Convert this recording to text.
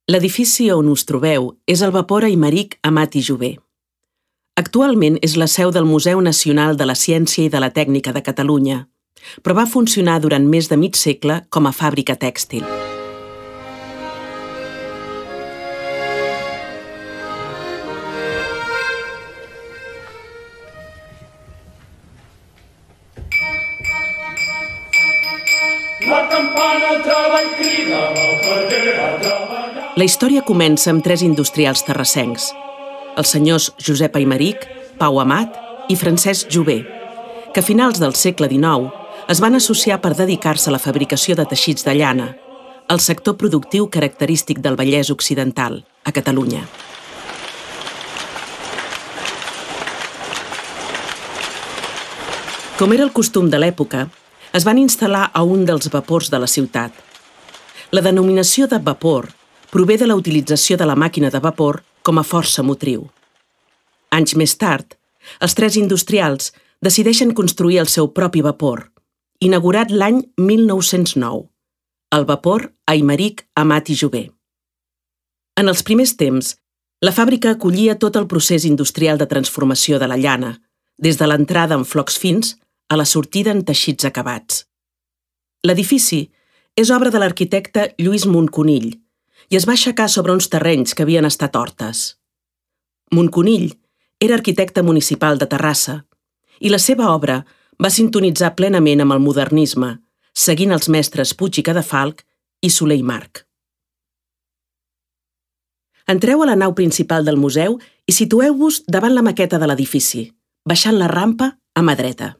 L'edifici on us trobeu és el Vapor Aimeric Amat i Jover. Actualment és la seu del Museu Nacional de la Ciència i de la Tècnica de Catalunya, però va funcionar durant més de mig segle com a fàbrica tèxtil. La campana al treball crida, a treballar. La història comença amb tres industrials terrassencs, els senyors Josep Aimeric, Pau Amat i Francesc Jover, que a finals del segle XIX es van associar per dedicar-se a la fabricació de teixits de llana, el sector productiu característic del Vallès Occidental, a Catalunya. Com era el costum de l'època, es van instal·lar a un dels vapors de la ciutat. La denominació de vapor prové de la utilització de la màquina de vapor com a força motriu. Anys més tard, els tres industrials decideixen construir el seu propi vapor, inaugurat l'any 1909, el Vapor Aimeric Amat i Jover. En els primers temps, la fàbrica acollia tot el procés industrial de transformació de la llana, des de l'entrada en flocs fins a la sortida en teixits acabats. L'edifici és obra de l'arquitecte Lluís Monconill i es va aixecar sobre uns terrenys que havien estat hortes. Monconill era arquitecte municipal de Terrassa i la seva obra va sintonitzar plenament amb el modernisme, seguint els mestres Puig i Cadafalch i Soler i March. Entreu a la nau principal del museu i situeu-vos davant la maqueta de l'edifici, baixant la rampa a mà dreta.